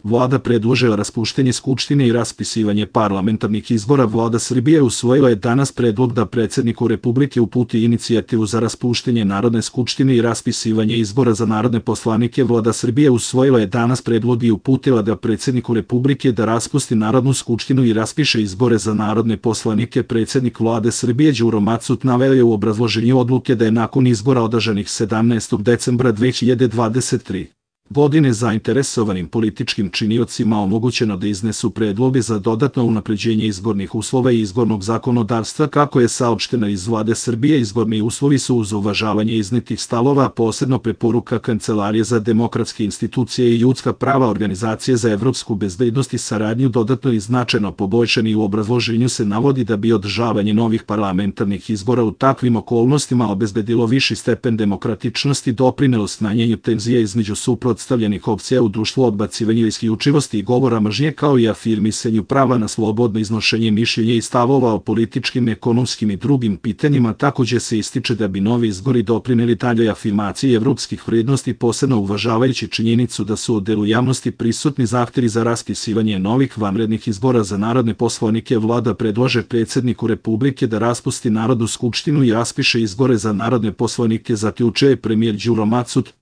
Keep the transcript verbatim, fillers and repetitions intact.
Vlada predložila raspuštenje Skupštine i raspisivanje parlamentarnih izbora. Vlada Srbije usvojila je danas predlog da predsjedniku Republike uputi inicijativu za raspuštenje Narodne skupštine i raspisivanje izbora za narodne poslanike. Vlada Srbije usvojila je danas predlog i uputila da predsjedniku Republike da raspusti Narodnu skupštinu i raspiše izbore za narodne poslanike. Predsjednik Vlade Srbije Đuro Macut naveo je u obrazloženju odluke da je nakon izbora održanih sedamnaestog decembra dve hiljade dvadeset treće. godine zainteresovanim političkim činiocima omogućeno da iznesu predloge za dodatno unapređenje izbornih uslova i izbornog zakonodavstva. Kako je saopšteno iz Vlade Srbije, izborni uslovi su uz uvažavanje iznetih stavova, posebno preporuka Kancelarije za demokratske institucije i ljudska prava Organizacije za evropsku bezbednost i saradnju dodatno i značajno poboljšani. U obrazloženju se navodi da bi održavanje novih parlamentarnih izbora u takvim okolnostima obezbedilo viši stepen demokratičnosti, doprinelo smanjenju tenzija između suprotstavljenih opcija u društvu, odbacivanje isključivosti i govora mržnje, kao i afirmisanju prava na slobodno iznošenje mišljenja i stavova o političkim, ekonomskim i drugim pitanjima. Takođe se ističe da bi novi izbori doprineli daljoj afirmaciji evropskih vrednosti, posebno uvažavajući činjenicu da su u delu javnosti prisutni zahtevi za raspisivanje novih vanrednih izbora za narodne poslanike. Vlada predlaže predsjedniku Republike da raspusti Narodnu skupštinu i raspiše izbore za narodne poslanike, zaključuje premijer Đuro Macut.